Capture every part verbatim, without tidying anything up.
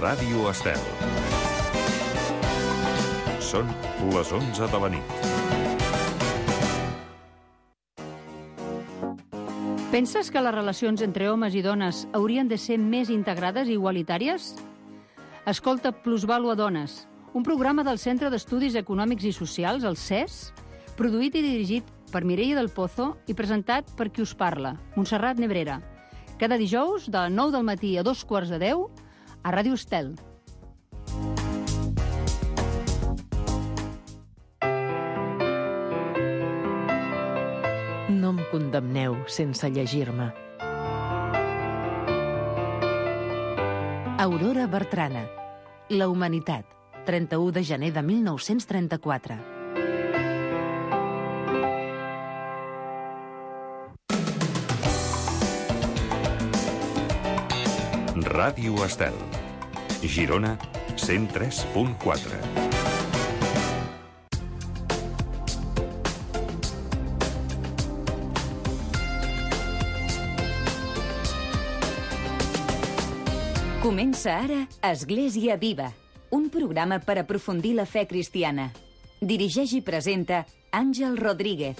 Ràdio Estel. Són les onze de la nit. Penses que les relacions entre homes i dones haurien de ser més integrades i igualitàries? Escolta Plusvàlua Dones, un programa del Centre d'Estudis Econòmics i Socials, el C E S, produït i dirigit per Mireia del Pozo i presentat per qui us parla, Montserrat Nebrera. Cada dijous, de nou del matí a dos quarts de deu, a Ràdio Estel. No em condemneu sense llegir-me. Aurora Bertrana. La humanitat. trenta-u de gener de mil nou-cents trenta-quatre. Ràdio Estel. Girona, cent tres punt quatre. Comença ara Església Viva, un programa per aprofundir la fe cristiana. Dirigeix i presenta Àngel Rodríguez.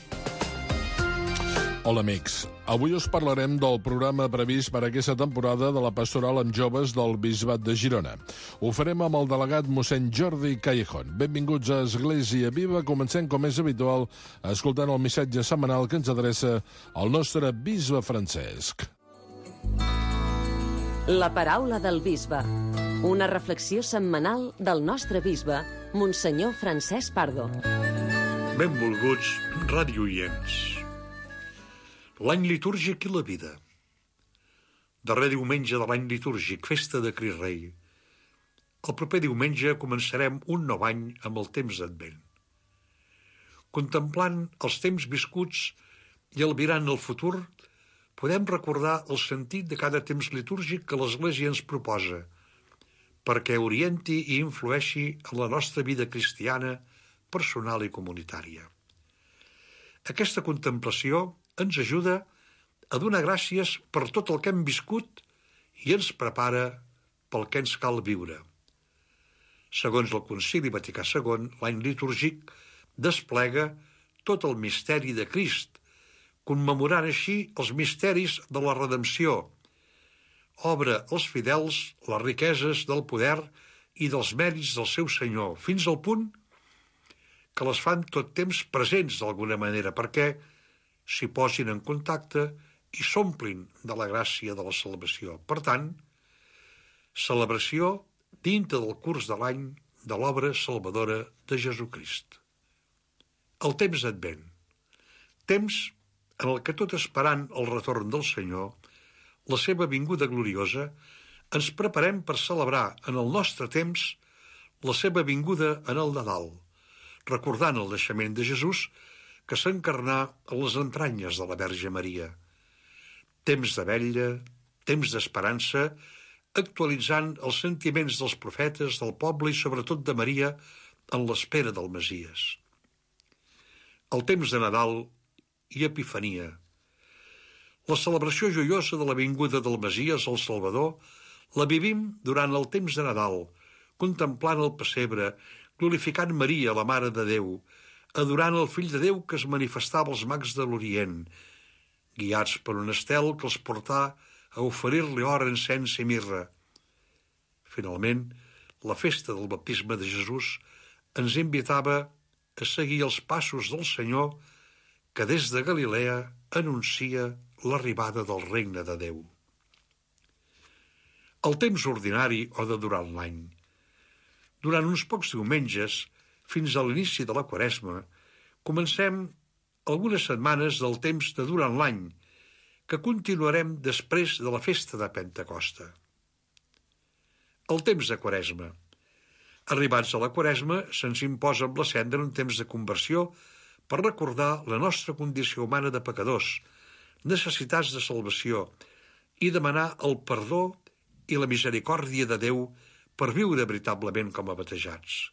Hola, amics. Avui us parlarem del programa previst per aquesta temporada de la pastoral amb joves del Bisbat de Girona. Ho farem amb el delegat mossèn Jordi Callejón. Benvinguts a Església Viva. Comencem, com és habitual, escoltant el missatge setmanal que ens adreça el nostre bisbe Francesc. La paraula del bisbe. Una reflexió setmanal del nostre bisbe, Monsenyor Francesc Pardo. Benvolguts radioients. L'any litúrgic i la vida. Darrer diumenge de l'any litúrgic, festa de Crist Rei. El proper diumenge començarem un nou any amb el temps d'Advent. Contemplant els temps viscuts i albirant el futur, podem recordar el sentit de cada temps litúrgic que l'Església ens proposa, perquè orienti i influeixi en la nostra vida cristiana, personal i comunitària. Aquesta contemplació ens ajuda a donar gràcies per tot el que hem viscut i ens prepara pel que ens cal viure. Segons el Concili Vaticà segon, l'any litúrgic desplega tot el misteri de Crist, commemorant així els misteris de la redempció. Obre als fidels les riqueses del poder i dels mèrits del seu Senyor, fins al punt que les fan tot temps presents d'alguna manera, perquè s'hi posin en contacte i s'omplin de la gràcia de la salvació. Per tant, celebració dintre del curs de l'any de l'obra salvadora de Jesucrist. El temps d'Advent. Temps en el que, tot esperant el retorn del Senyor, la seva vinguda gloriosa, ens preparem per celebrar en el nostre temps la seva vinguda en el Nadal, recordant el naixement de Jesús que s'encarnà a les entranyes de la Verge Maria. Temps de vetlla, temps d'esperança, actualitzant els sentiments dels profetes, del poble i sobretot de Maria en l'espera del Messies. El temps de Nadal i Epifania. La celebració joiosa de la vinguda del Messies, el Salvador, la vivim durant el temps de Nadal, contemplant el pessebre, glorificant Maria, la Mare de Déu, adorant el Fill de Déu que es manifestava als mags de l'Orient, guiats per un estel que els portà a oferir-li or, encens i mirra. Finalment, la festa del baptisme de Jesús ens invitava a seguir els passos del Senyor que des de Galilea anuncia l'arribada del regne de Déu. El temps ordinari o de durant l'any. Durant uns pocs diumenges, fins a l'inici de la Quaresma, comencem algunes setmanes del temps de durant l'any, que continuarem després de la festa de Pentecosta. El temps de Quaresma. Arribats a la Quaresma, se'ns imposa amb la cendra un temps de conversió per recordar la nostra condició humana de pecadors, necessitats de salvació, i demanar el perdó i la misericòrdia de Déu per viure veritablement com a batejats.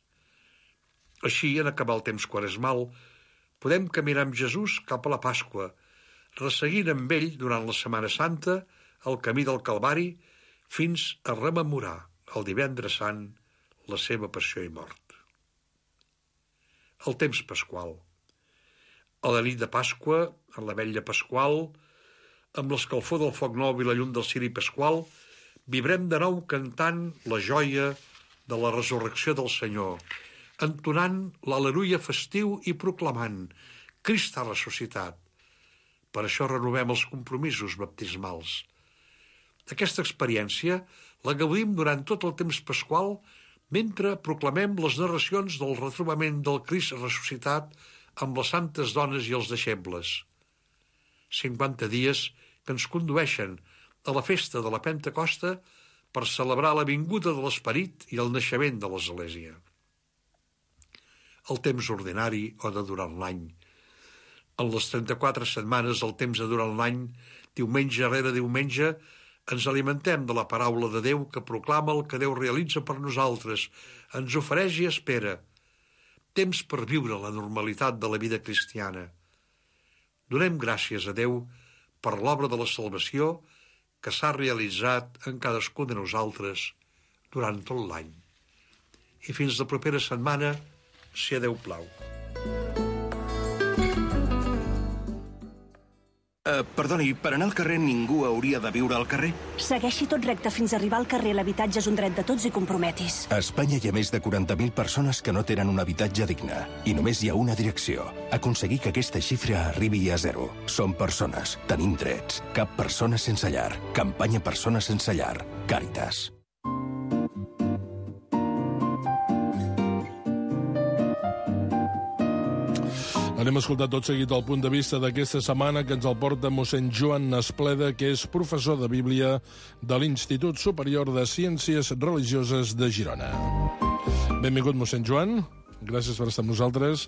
Així, en acabar el temps quaresmal, podem caminar amb Jesús cap a la Pasqua, resseguint amb ell durant la Setmana Santa el camí del Calvari fins a rememorar el divendres sant, la seva passió i mort. El temps pasqual. A la nit de Pasqua, en la vetlla pasqual, amb l'escalfor del foc nou i la llum del ciri pasqual, vibrem de nou cantant la joia de la resurrecció del Senyor, entonant l'al·leluia festiu i proclamant Crist ha ressuscitat. Per això renovem els compromisos baptismals. Aquesta experiència la gaudim durant tot el temps pasqual mentre proclamem les narracions del retrobament del Crist ressuscitat amb les santes dones i els deixebles. cinquanta dies que ens condueixen a la festa de la Pentecosta per celebrar la vinguda de l'Esperit i el naixement de l'Església. El temps ordinari o de durant l'any. En les trenta-quatre setmanes del temps de durant l'any, diumenge rere diumenge, ens alimentem de la paraula de Déu que proclama el que Déu realitza per nosaltres, ens ofereix i espera. Temps per viure la normalitat de la vida cristiana. Donem gràcies a Déu per l'obra de la salvació que s'ha realitzat en cadascun de nosaltres durant tot l'any. I fins la propera setmana, si a Déu plau. Uh, perdoni, per anar al carrer ningú hauria de viure al carrer? Segueixi tot recte fins a arribar al carrer. L'habitatge és un dret de tots i comprometis. A Espanya hi ha més de quaranta mil persones que no tenen un habitatge digne. I només hi ha una direcció. Aconseguir que aquesta xifra arribi a zero. Som persones. Tenim drets. Cap persona sense llar. Campanya Persones sense llar. Càritas. Anem a escoltar tot seguit el punt de vista d'aquesta setmana que ens el porta mossèn Joan Espleda, que és professor de Bíblia de l'Institut Superior de Ciències Religioses de Girona. Benvingut, mossèn Joan. Gràcies per estar amb nosaltres.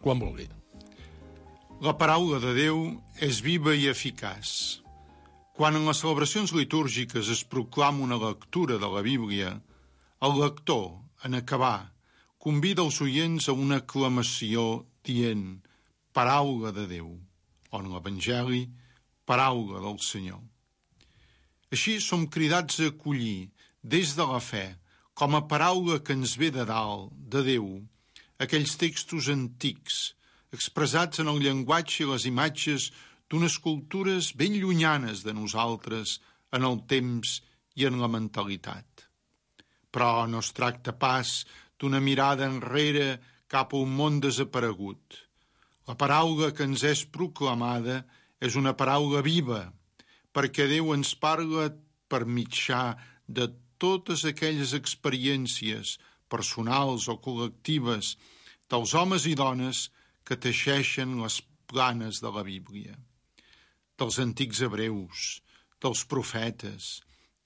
Quan vulgui. La paraula de Déu és viva i eficaç. Quan en les celebracions litúrgiques es proclama una lectura de la Bíblia, el lector, en acabar, convida els oients a una aclamació dient paraula de Déu, o en l'Evangeli, paraula del Senyor. Així som cridats a acollir, des de la fe, com a paraula que ens ve de dalt, de Déu, aquells textos antics, expressats en el llenguatge i les imatges d'unes cultures ben llunyanes de nosaltres en el temps i en la mentalitat. Però no es tracta pas d'una mirada enrere cap a un món desaparegut. La paraula que ens és proclamada és una paraula viva, perquè Déu ens parla per mitjà de totes aquelles experiències personals o col·lectives dels homes i dones que teixeixen les planes de la Bíblia. Dels antics hebreus, dels profetes,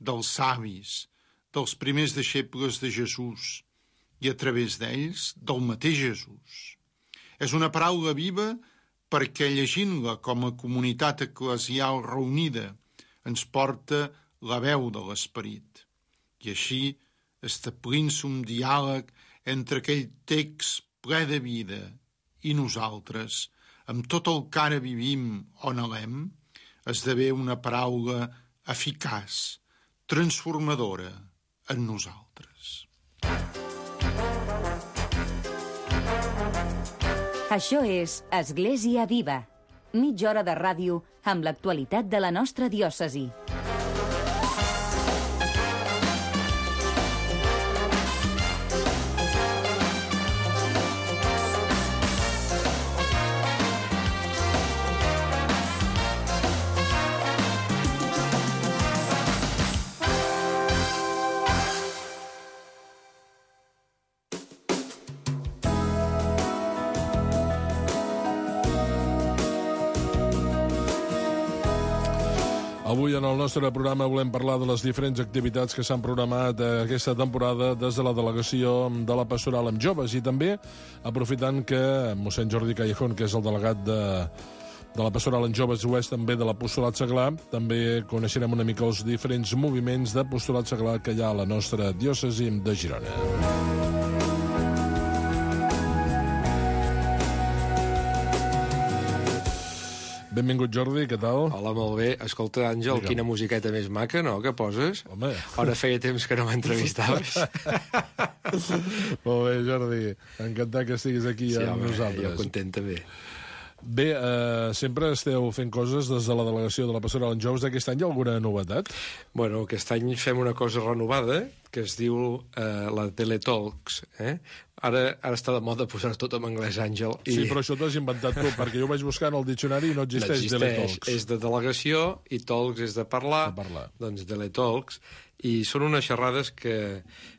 dels savis, dels primers deixebles de Jesús, i a través d'ells, del mateix Jesús. És una paraula viva perquè llegint-la com a comunitat eclesial reunida ens porta la veu de l'Esperit. I així, establint-se un diàleg entre aquell text ple de vida i nosaltres, amb tot el que ara vivim o anhelem, esdevé una paraula eficaç, transformadora en nosaltres. Això és Església Viva, mitja hora de ràdio amb l'actualitat de la nostra diòcesi. Avui en el nostre programa volem parlar de les diferents activitats que s'han programat aquesta temporada des de la delegació de la Pastoral amb Joves i també aprofitant que mossèn Jordi Callejón, que és el delegat de, de la Pastoral amb Joves, ho és també de l'Apostolat Seglar, també coneixerem una mica els diferents moviments d'Apostolat Seglar que hi ha a la nostra diòcesi de Girona. Benvingut, Jordi, què tal? Hola, molt bé. Escolta, Àngel, Digue'm. quina musiqueta més maca, no?, que poses. Home. Ara feia temps que no m'entrevistaves. Molt bé, Jordi. Encantat que estiguis aquí Sí, amb home, nosaltres. jo content també. Bé, eh, sempre esteu fent coses des de la delegació de la Pastoral en Joves. Aquest any hi ha alguna novetat? Bueno, aquest any fem una cosa renovada que es diu eh, la Teletalks. Eh? Ara, ara està de moda posar tot en anglès, Àngel. I... Sí, però això t'ho has inventat tu, perquè jo vaig buscar en el diccionari i no existeix, no existeix. Teletalks. És de delegació i talks és de parlar. De parlar. Doncs Teletalks. I són unes xerrades que,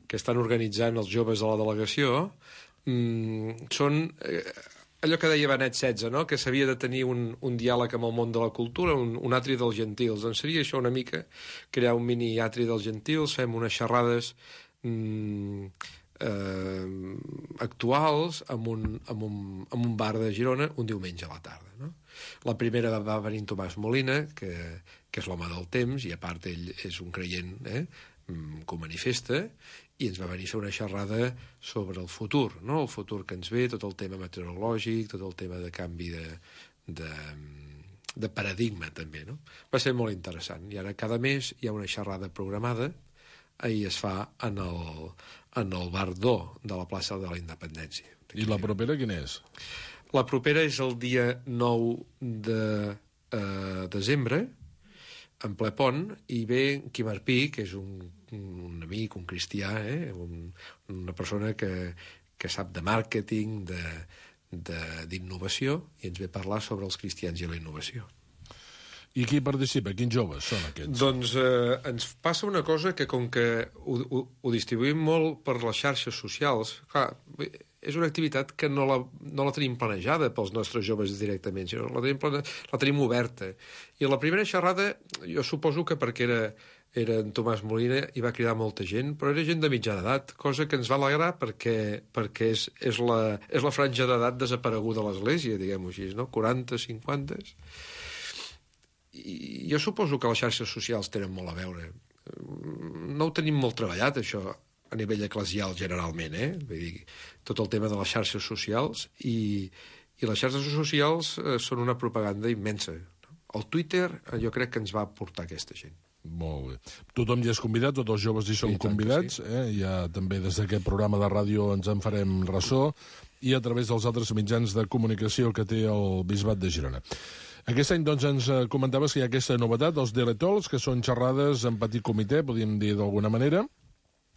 que estan organitzant els joves de la delegació. Mm, són... Eh, allò que deia Benet setze, no?, que s'havia de tenir un, un diàleg amb el món de la cultura, un, un atri dels gentils. Doncs seria això una mica, crear un mini atri dels gentils, fem unes xerrades mm, eh, actuals amb un, amb, un, amb un bar de Girona un diumenge a la tarda, no? La primera va venir Tomàs Molina, que, que és l'home del temps, i a part ell és un creient, eh?, que ho manifesta, i ens va venir a fer una xerrada sobre el futur, no? El futur que ens ve, tot el tema meteorològic, tot el tema de canvi de, de, de paradigma, també, no? Va ser molt interessant. I ara cada mes hi ha una xerrada programada, ahir es fa en el, en el Bar d'O de la plaça de la Independència. I la propera quina és? La propera és el dia nou de eh, desembre, en ple pont, i ve Quim Arpí, que és un, un amic, un cristià, eh? un, una persona que, que sap de màrqueting, d'innovació, i ens ve a parlar sobre els cristians i la innovació. I qui participa? Quins joves són aquests? Doncs eh, ens passa una cosa que, com que ho, ho, ho distribuïm molt per les xarxes socials, clar, és una activitat que no la, no la tenim planejada pels nostres joves directament, sinó la tenim, plane... la tenim oberta. I la primera xerrada, jo suposo que perquè era, era en Tomàs Molina, hi va cridar molta gent, però era gent de mitjana edat, cosa que ens va alegrar perquè, perquè és, és, la, és la franja d'edat desapareguda a l'Església, diguem-ho així, no? quaranta, cinquanta... I jo suposo que les xarxes socials tenen molt a veure. No ho tenim molt treballat, això, a nivell eclesial generalment, eh? Vull dir, tot el tema de les xarxes socials, i, i les xarxes socials eh, són una propaganda immensa. El Twitter eh, jo crec que ens va portar aquesta gent. Molt bé. Tothom hi és convidat, tots els joves hi són sí, convidats, sí. eh? Ja també des d'aquest programa de ràdio ens en farem ressò, i a través dels altres mitjans de comunicació que té el Bisbat de Girona. Aquest any, doncs, ens comentaves que hi ha aquesta novetat, els Teletols, que són xerrades en petit comitè, podríem dir d'alguna manera,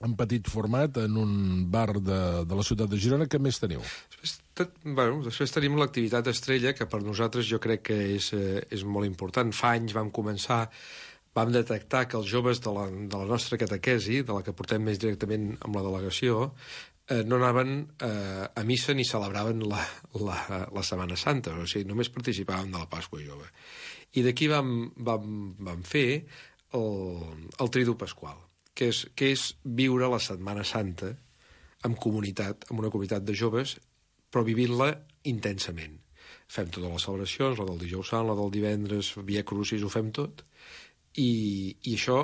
en petit format, en un bar de, de la ciutat de Girona. Què més teniu? Després, tot, bueno, després tenim l'activitat estrella, que per nosaltres jo crec que és, eh, és molt important. Fa anys vam començar, vam detectar que els joves de la, de la nostra catequesi, de la que portem més directament amb la delegació, eh, no anaven eh, a missa ni celebraven la, la, la Setmana Santa, o sigui, només participaven de la Pasqua Jove. I d'aquí vam, vam, vam fer el, el Tridu Pasqual, que és, que és viure la Setmana Santa en comunitat, en una comunitat de joves, però vivint-la intensament. Fem totes les celebracions, la del dijous sant, la del divendres, Via Crucis, ho fem tot, i, i això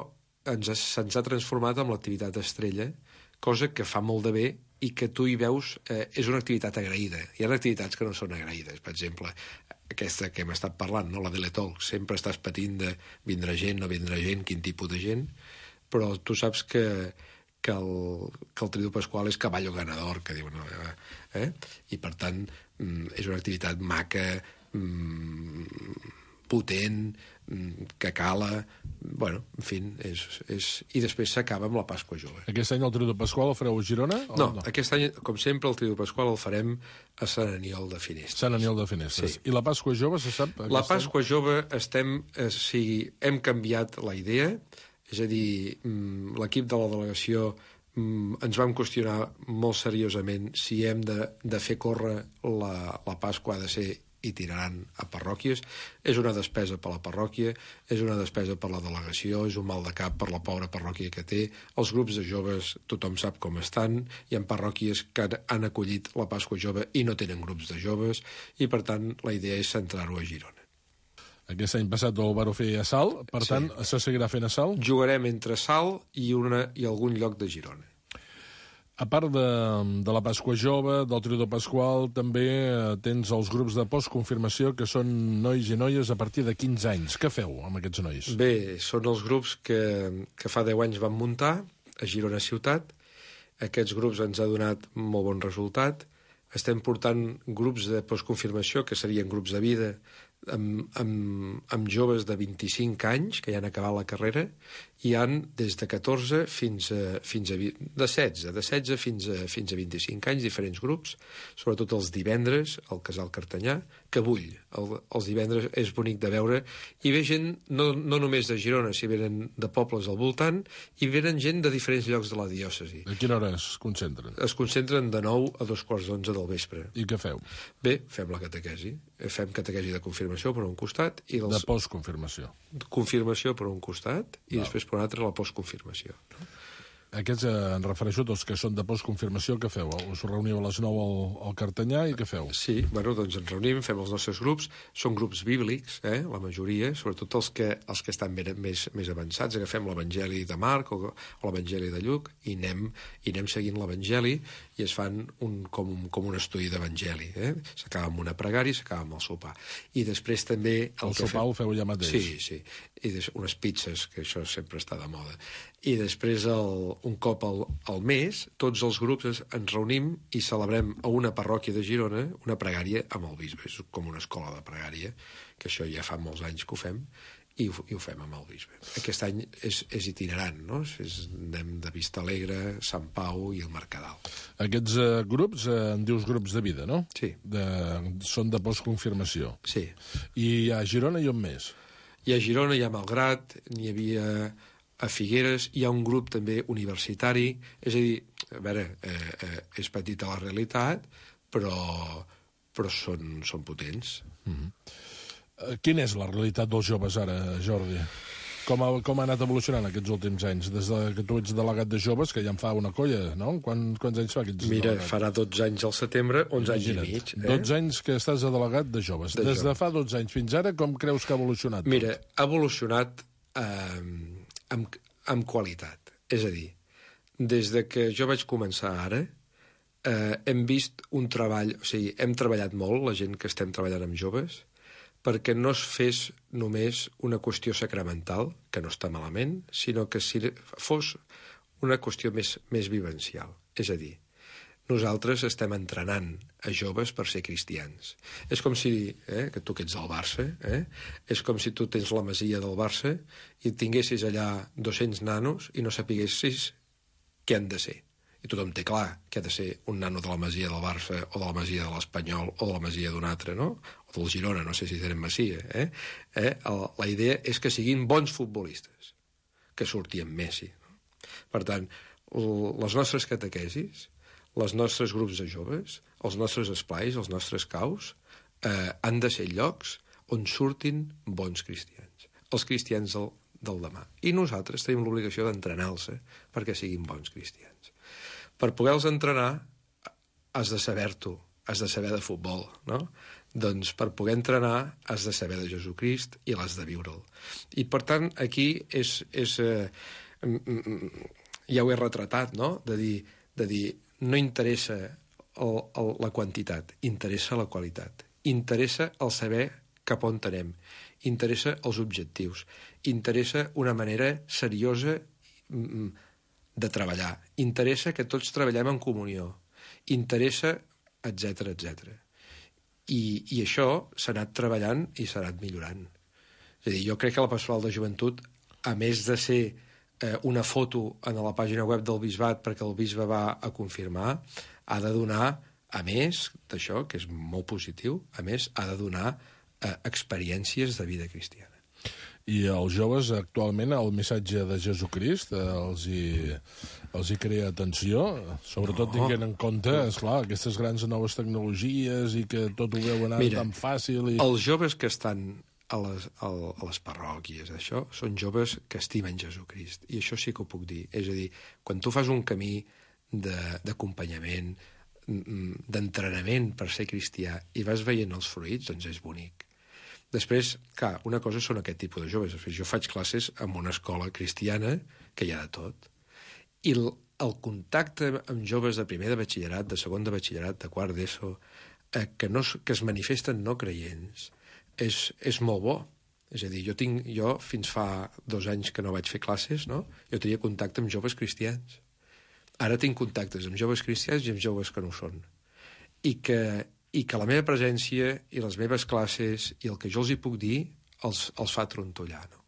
ens ha, se'ns ha transformat en l'activitat estrella, cosa que fa molt de bé i que tu hi veus, eh, és una activitat agraïda. Hi ha activitats que no són agraïdes. Per exemple, aquesta que hem estat parlant, no? La Teletol, sempre estàs patint de vindrà gent, no vindrà gent, quin tipus de gent, però tu saps que, que, el, que el Tridu Pasqual és caballo ganador, que diuen, eh? I per tant és una activitat maca, potent, que cala, bueno, en fi, és, és... i després s'acaba amb la Pasqua Jove. Aquest any el Tridu Pasqual el fareu a Girona? No, no, aquest any, com sempre, el Tridu Pasqual el farem a Sant Aniol de Finestres. Sant Aniol de Finestres. Sí. I la Pasqua Jove, se sap? La Pasqua any? Jove estem... Eh, sí, hem canviat la idea, és a dir, l'equip de la delegació ens vam qüestionar molt seriosament si hem de, de fer córrer la, la Pasqua, ha de ser itinerant a parròquies. És una despesa per la parròquia, és una despesa per la delegació, és un mal de cap per la pobra parròquia que té. Els grups de joves tothom sap com estan, hi ha parròquies que han acollit la Pasqua Jove i no tenen grups de joves, i per tant la idea és centrar-ho a Girona. Aquest any passat el vau fer a Salt, per sí. tant, se seguirà fent a Salt? Jugarem entre Salt i, una, i algun lloc de Girona. A part de, de la Pasqua Jove, del Tríodo Pasqual, també tens els grups de postconfirmació, que són nois i noies a partir de quinze anys. Què feu amb aquests nois? Bé, són els grups que, que fa deu anys vam muntar a Girona Ciutat. Aquests grups ens ha donat molt bon resultat. Estem portant grups de postconfirmació, que serien grups de vida, amb, amb, amb joves de vint-i-cinc anys, que ja han acabat la carrera, i han des de catorze fins a, fins a de setze, de setze fins a, fins a vint-i-cinc anys, diferents grups, sobretot els divendres, al Casal Cartanyà, que bull. El, els divendres és bonic de veure, i ve gent no, no només de Girona, si venen de pobles al voltant, i venen gent de diferents llocs de la diòcesi. A quina hora es concentren? Es concentren de nou a dos quarts d'onze del vespre. I què feu? Bé, fem la catequesi. Fem catequesi de confirmació per un costat i dels... De postconfirmació. Confirmació per un costat i no. després per un altre la postconfirmació. Aquests, eh, en refereixo a tots que són de postconfirmació, què feu? Us reuniu a les nou al, al Cartanyà i què feu? Sí, bueno, doncs ens reunim, fem els nostres grups, són grups bíblics, eh, la majoria, sobretot els que, els que estan ben, més, més avançats, agafem l'Evangeli de Marc o, o l'Evangeli de Lluc i anem, i anem seguint l'Evangeli i es fan un, com, un, com un estudi d'Evangeli. Eh? S'acaba amb una pregària i s'acaba amb el sopar. I després també... El, el sopar ho feu allà mateix? Sí, sí. I des, unes pizzas, que això sempre està de moda. I després, el, un cop al, al mes, tots els grups ens, ens reunim i celebrem a una parròquia de Girona una pregària amb el bisbe. És com una escola de pregària, que això ja fa molts anys que ho fem, i ho, i ho fem amb el bisbe. Aquest any és, és itinerant, no? És, anem de Vista Alegre, Sant Pau i el Mercadal. Aquests eh, grups, eh, en dius grups de vida, no? Sí. De, són de postconfirmació. Sí. I a Girona i on més? I a Girona hi ha Malgrat, n'hi havia a Figueres, hi ha un grup també universitari, és a dir, a veure, eh, eh, és petita la realitat, però, però són, són potents. Mm-hmm. Eh, quina és la realitat dels joves ara, Jordi? Com ha, com ha anat evolucionant aquests últims anys? Des de que tu ets delegat de joves, que ja en fa una colla, no? Quan, quants anys fa que ets Mira, delegat? farà dotze anys al setembre, onze anys i mig. Eh? dotze anys que estàs de delegat de joves. De Des joves. de fa dotze anys fins ara, com creus que ha evolucionat? Mira, ha evolucionat eh, amb, amb qualitat. És a dir, des de que jo vaig començar ara, eh, hem vist un treball... O sigui, hem treballat molt, la gent que estem treballant amb joves, perquè no es fes només una qüestió sacramental, que no està malament, sinó que si fos una qüestió més, més vivencial. És a dir, nosaltres estem entrenant a joves per ser cristians. És com si, eh, que tu que ets del Barça, eh, és com si tu tens la masia del Barça i tinguessis allà dos-cents nanos i no sapiguessis què han de ser. I tothom té clar que ha de ser un nano de la masia del Barça o de la masia de l'Espanyol o de la masia d'un altre, no? O del Girona, no sé si tenen masia. Eh? Eh? El, la idea és que siguin bons futbolistes, que surti amb Messi. No? Per tant, les nostres catequesis, els nostres grups de joves, els nostres esplais, els nostres caus, eh, han de ser llocs on surtin bons cristians. Els cristians del, del demà. I nosaltres tenim l'obligació d'entrenar-los perquè siguin bons cristians. Per poder-los entrenar, has de saber-t'ho, has de saber de futbol, no? Doncs per poder entrenar has de saber de Jesucrist i l'has de viure'l. I, per tant, aquí és... és eh, ja ho he retratat, no?, de dir, de dir no interessa el, el, la quantitat, interessa la qualitat. Interessa el saber cap on anem. Interessa els objectius. Interessa una manera seriosa de treballar. Interessa que tots treballem en comunió. Interessa, etc etcètera. I, I això s'ha anat treballant i s'ha anat millorant. És a dir, jo crec que la Pastoral de Joventut, a més de ser eh, una foto en la pàgina web del bisbat perquè el bisbe va a confirmar, ha de donar, a més d'això, que és molt positiu, a més, ha de donar eh, experiències de vida cristiana. I els joves, actualment, el missatge de Jesucrist eh, els, hi, els hi crea atenció, sobretot no. Tinguent en compte, esclar, aquestes grans noves tecnologies i que tot ho veuen ara Mira, tan fàcil. I... els joves que estan a les, a les parròquies, això, són joves que estimen Jesucrist. I això sí que ho puc dir. És a dir, quan tu fas un camí d'acompanyament, d'entrenament per ser cristià i vas veient els fruits, doncs és bonic. Després, clar, una cosa són aquest tipus de joves. Jo faig classes en una escola cristiana que hi ha de tot. I el, el contacte amb joves de primer de batxillerat, de segon de batxillerat, de quart d'ESO, eh, que, no, que es manifesten no creients, és, és molt bo. És a dir, jo, tinc, jo fins fa dos anys que no vaig fer classes, no? Jo tenia contacte amb joves cristians. Ara tinc contactes amb joves cristians i amb joves que no ho són. I que, i que la meva presència i les meves classes i el que jo els hi puc dir els, els fa trontollar, no?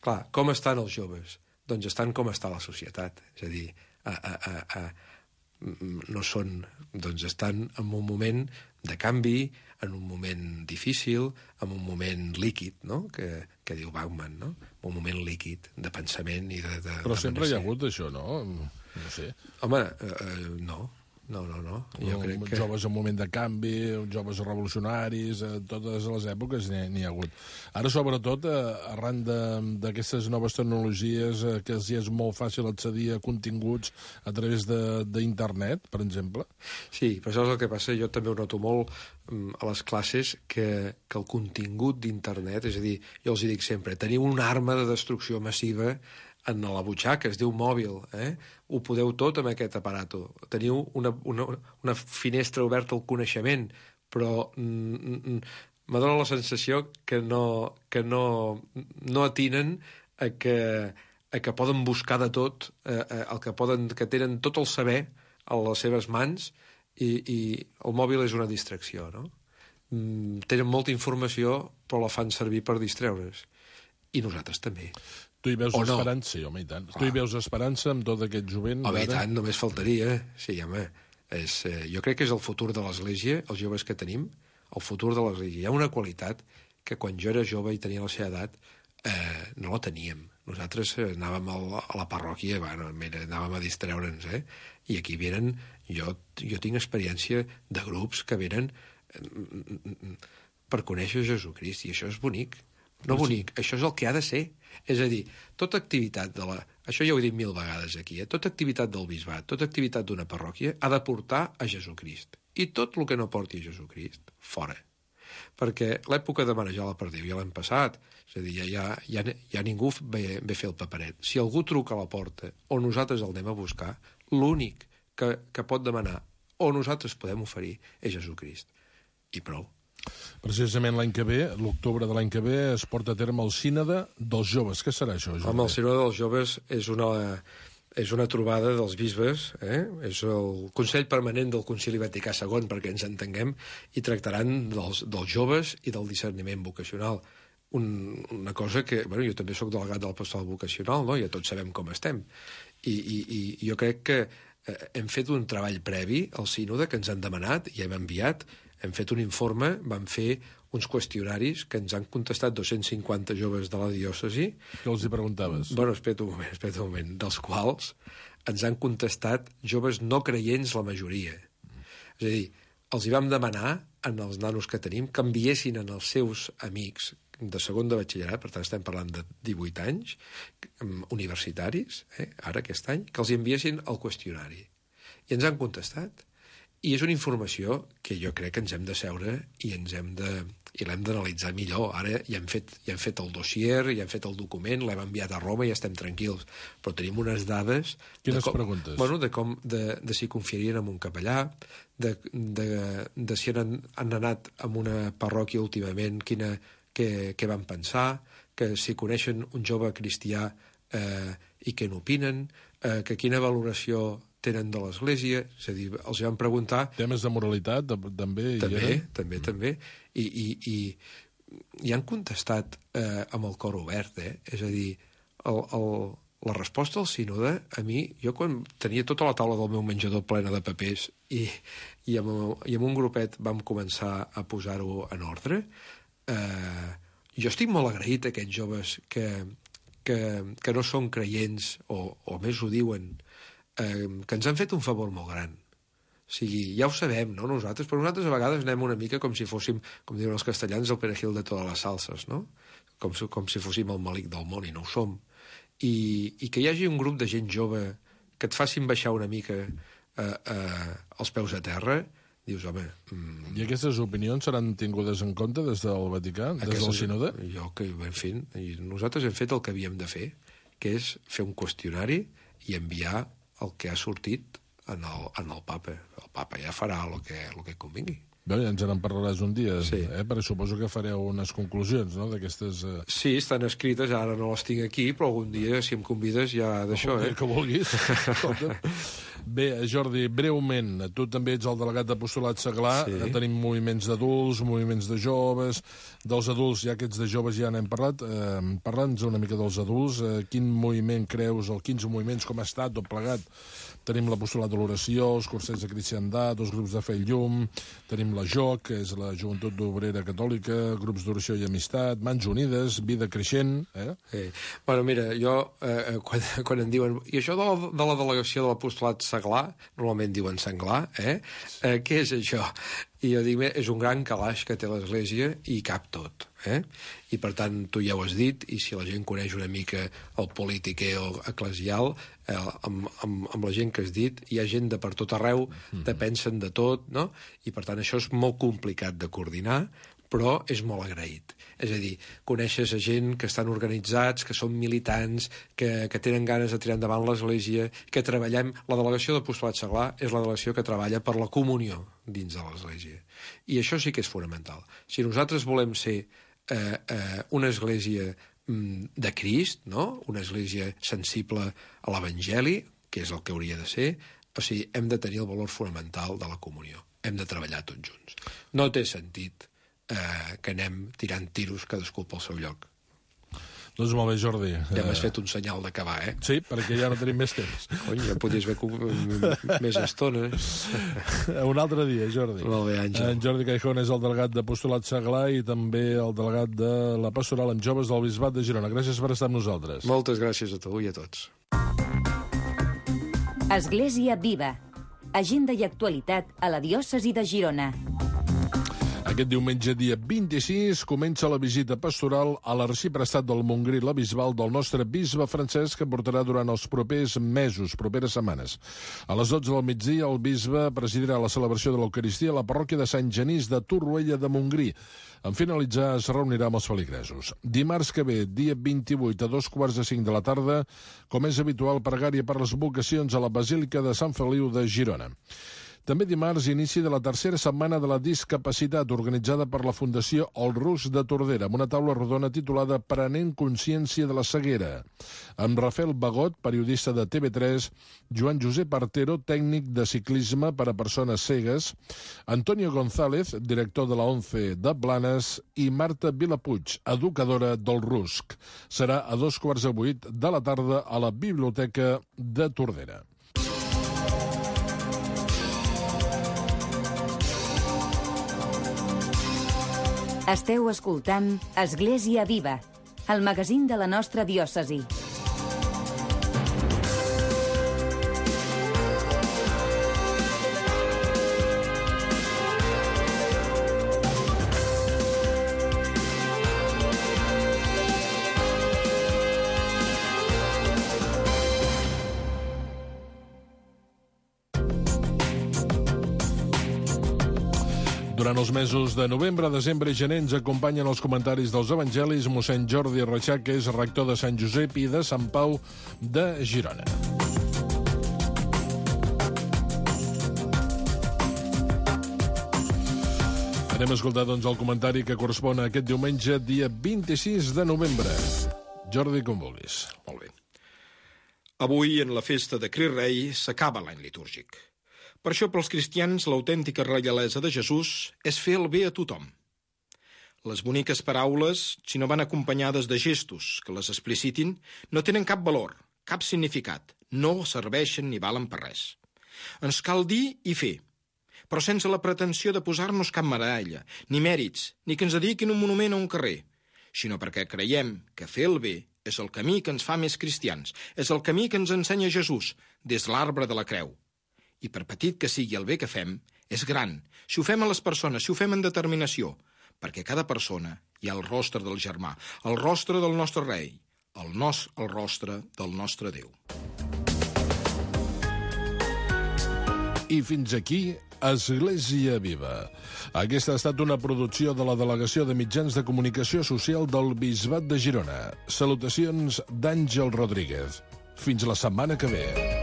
Clar, com estan els joves? Doncs estan com està la societat. És a dir, a, a, a, a, no són... Doncs estan en un moment de canvi, en un moment difícil, en un moment líquid, no?, que, que diu Bauman, no? Un moment líquid de pensament i de... de Però de sempre hi ha hagut això, no? No sé. Home, eh, no. No, no, no. Jo no, crec que... Joves en moment de canvi, joves revolucionaris, a totes les èpoques n'hi ha hagut. Ara, sobretot, arran d'aquestes noves tecnologies, que els és molt fàcil accedir a continguts a través d'internet, per exemple. Sí, però això és el que passa. Jo també ho noto molt a les classes, que, que el contingut d'internet, és a dir, jo els dic sempre, teniu una arma de destrucció massiva en la butxaca, es diu mòbil, eh? Ho podeu tot amb aquest aparato. Teniu una, una, una finestra oberta al coneixement, però mm, me dóna la sensació que no, que no, no atinen a que, a que poden buscar de tot, eh, el que, poden, que tenen tot el saber a les seves mans, i, i el mòbil és una distracció, no? Mm, tenen molta informació, però la fan servir per distreure's. I nosaltres també. Tu hi veus o esperança, no. sí, home, i tant. Clar. Tu hi veus esperança amb tot aquest jovent? Home, i tant, només faltaria. Sí, home, és, eh, jo crec que és el futur de l'Església, els joves que tenim, el futur de l'Església. Hi ha una qualitat que quan jo era jove i tenia la seva edat eh, no la teníem. Nosaltres eh, anàvem a la, a la parròquia, bueno, mira, anàvem a distreure'ns, eh? I aquí venen, jo, jo tinc experiència de grups que venen eh, per conèixer Jesucrist, i això és bonic. No bonic, això és el que ha de ser. És a dir, tota activitat de la... Això ja ho he dit mil vegades aquí, eh? Tota activitat del bisbat, tota activitat d'una parròquia ha de portar a Jesucrist. I tot el que no porti a Jesucrist, fora. Perquè l'època de manejar la perdiu ja l'hem passat. És a dir, ja, ja, ja, ja ningú ve, ve fer el paperet. Si algú truca a la porta o nosaltres el anem a buscar, l'únic que, que pot demanar o nosaltres podem oferir és Jesucrist. I prou. Precisament l'any que ve, l'octubre de l'any que ve, es porta a terme el sínode dels joves. Què serà això, Jordi? Home, el sínode dels joves és una, és una trobada dels bisbes, eh? És el Consell Permanent del Concili Vaticà segon, perquè ens entenguem, i tractaran dels, dels joves i del discerniment vocacional. Un, una cosa que... Bueno, jo també sóc delegat del pastoral vocacional, no? Ja tots sabem com estem. I, i, i jo crec que eh, hem fet un treball previ al sínode que ens han demanat i hem enviat. Hem fet un informe, vam fer uns qüestionaris que ens han contestat dos-cents cinquanta joves de la diòcesi. Què els hi preguntaves? Bueno, espera un moment, espera un moment. Dels quals ens han contestat joves no creients la majoria. És a dir, els hi vam demanar, en els nanos que tenim, que enviessin en els seus amics de segon de batxillerat, per tant estem parlant de divuit anys, universitaris, eh, ara aquest any, que els hi enviessin el qüestionari. I ens han contestat. I és una informació que jo crec que ens hem de seure i ens hem de i l'hem d'analitzar millor. Ara ja hem fet, ja hem fet el dossier, ja hem fet el document, l'hem enviat a Roma i ja estem tranquils. Però tenim unes dades... Quines com, preguntes? Bueno, de, com, de, de si confiarien en un capellà, de, de, de si han, han anat a una parròquia últimament, quina, què, què van pensar, que si coneixen un jove cristià eh, i què n'opinen, eh, que quina valoració tenen de l'Església, és a dir, els van preguntar... Temes de moralitat, també? També, ja? també, mm. també. I, i, i, i han contestat eh, amb el cor obert, eh? És a dir, el, el, la resposta al sínode, a mi, jo quan tenia tota la taula del meu menjador plena de papers i, i, amb, i amb un grupet vam començar a posar-ho en ordre, eh, jo estic molt agraït a aquests joves que, que, que no són creients, o, o més ho diuen, Eh, que ens han fet un favor molt gran. O sigui, ja ho sabem, no?, nosaltres, però nosaltres a vegades anem una mica com si fóssim, com diuen els castellans, el perejil de totes les salses, no? Com si, com si fóssim el malic del món, i no ho som. I, i que hi hagi un grup de gent jove que et facin baixar una mica eh, eh, els peus a terra, dius, home... Mm, I aquestes opinions seran tingudes en compte des del Vaticà, des del sínode? Jo que en fin, i nosaltres hem fet el que havíem de fer, que és fer un qüestionari i enviar el que ha sortit en el, en el papa. El papa ja farà el que, el que convingui. Bé, ja ens en parlaràs un dia, sí. eh? Perquè suposo que fareu unes conclusions, no?, d'aquestes... Eh... Sí, estan escrites, ara no les tinc aquí, però algun dia, si em convides, ja d'això, eh? Que vulguis. Bé, Jordi, breument, tu també ets el delegat d'Apostolat Seglar, sí. Tenim moviments d'adults, moviments de joves, dels adults, ja que ets de joves ja n'hem parlat, eh, parla'ns una mica dels adults, eh, quin moviment creus, el quinze moviments, com ha estat, tot plegat? Tenim l'Apostolat de l'Oració, els cursets de cristiandat, els grups de fe i llum, tenim la J O C, que és la Joventut Obrera Catòlica, grups d'oració i amistat, Mans Unides, Vida Creixent... Eh? Sí. Bueno, mira, jo, eh, quan, quan em diuen... I això de la, de la delegació de l'Apostolat Seglar, normalment diuen Senglar, eh? eh? Què és això? I jo dic, és un gran calaix que té l'Església i cap tot. Eh? I per tant, tu ja ho has dit, i si la gent coneix una mica el politiqueo eclesial, eh, amb, amb, amb la gent que has dit, hi ha gent de per tot arreu, mm-hmm. te pensen de tot, no? I per tant això és molt complicat de coordinar, però és molt agraït. És a dir, coneixes a gent que estan organitzats, que són militants, que, que tenen ganes de tirar endavant l'Església, que treballem... La delegació d'Apostolat Seglar és la delegació que treballa per la comunió dins de l'Església. I això sí que és fonamental. Si nosaltres volem ser eh, eh, una Església mm, de Crist, no?, una Església sensible a l'Evangeli, que és el que hauria de ser, o sigui, hem de tenir el valor fonamental de la comunió. Hem de treballar tots junts. No té sentit Eh, que anem tirant tiros cadascú pel seu lloc. Doncs molt bé, Jordi. Ja m'has fet un senyal d'acabar, eh? Sí, perquè ja no tenim més temps. Cony, ja podies haver més estona. Un altre dia, Jordi. Molt bé, Àngel. En Jordi Caijón és el delegat d'Apostolat Seglar i també el delegat de la Pastoral amb Joves del Bisbat de Girona. Gràcies per estar amb nosaltres. Moltes gràcies a tu i a tots. Església Viva. Agenda i actualitat a la diòcesi de Girona. Aquest diumenge, dia vint-i-sis, comença la visita pastoral a l'arxiprestat del Montgrí, la Bisbal, del nostre bisbe Francesc, que portarà durant els propers mesos, properes setmanes. A les dotze del migdia, el bisbe presidirà la celebració de l'Eucaristia a la parròquia de Sant Genís de Torroella de Montgrí. En finalitzar, es reunirà amb els feligresos. Dimarts que ve, dia vint-i-vuit, a dos quarts de cinc de la tarda, com és habitual, pregària per les vocacions a la Basílica de Sant Feliu de Girona. També dimarts, inici de la tercera setmana de la discapacitat organitzada per la Fundació El Rus de Tordera, amb una taula rodona titulada Prenent consciència de la ceguera, amb Rafael Bagot, periodista de T V tres, Joan Josep Artero, tècnic de ciclisme per a persones cegues, Antonio González, director de la ONCE de Blanes, i Marta Vilapuig, educadora del Rusc. Serà a dos quarts de vuit de la tarda a la Biblioteca de Tordera. Esteu escoltant Església Viva, el magazín de la nostra diòcesi. Durant els mesos de novembre, desembre i gener ens acompanyen els comentaris dels evangelis mossèn Jordi Reixac, que és rector de Sant Josep i de Sant Pau de Girona. Anem a escoltar, doncs, el comentari que correspon a aquest diumenge, dia vint-i-sis de novembre. Jordi, com vulguis. Molt bé. Avui, en la festa de Crist Rei, s'acaba l'any litúrgic. Per això, pels cristians, l'autèntica reialesa de Jesús és fer el bé a tothom. Les boniques paraules, si no van acompanyades de gestos que les explicitin, no tenen cap valor, cap significat, no serveixen ni valen per res. Ens cal dir i fer, però sense la pretensió de posar-nos cap medalla, ni mèrits, ni que ens dediquin un monument a un carrer, sinó perquè creiem que fer el bé és el camí que ens fa més cristians, és el camí que ens ensenya Jesús des de l'arbre de la creu. I per petit que sigui el bé que fem, és gran. Si ho fem a les persones, si ho fem en determinació, perquè cada persona hi ha el rostre del germà, el rostre del nostre rei, el, nos, el rostre del nostre Déu. I fins aquí, Església Viva. Aquesta ha estat una producció de la Delegació de Mitjans de Comunicació Social del Bisbat de Girona. Salutacions d'Àngel Rodríguez. Fins la setmana que ve.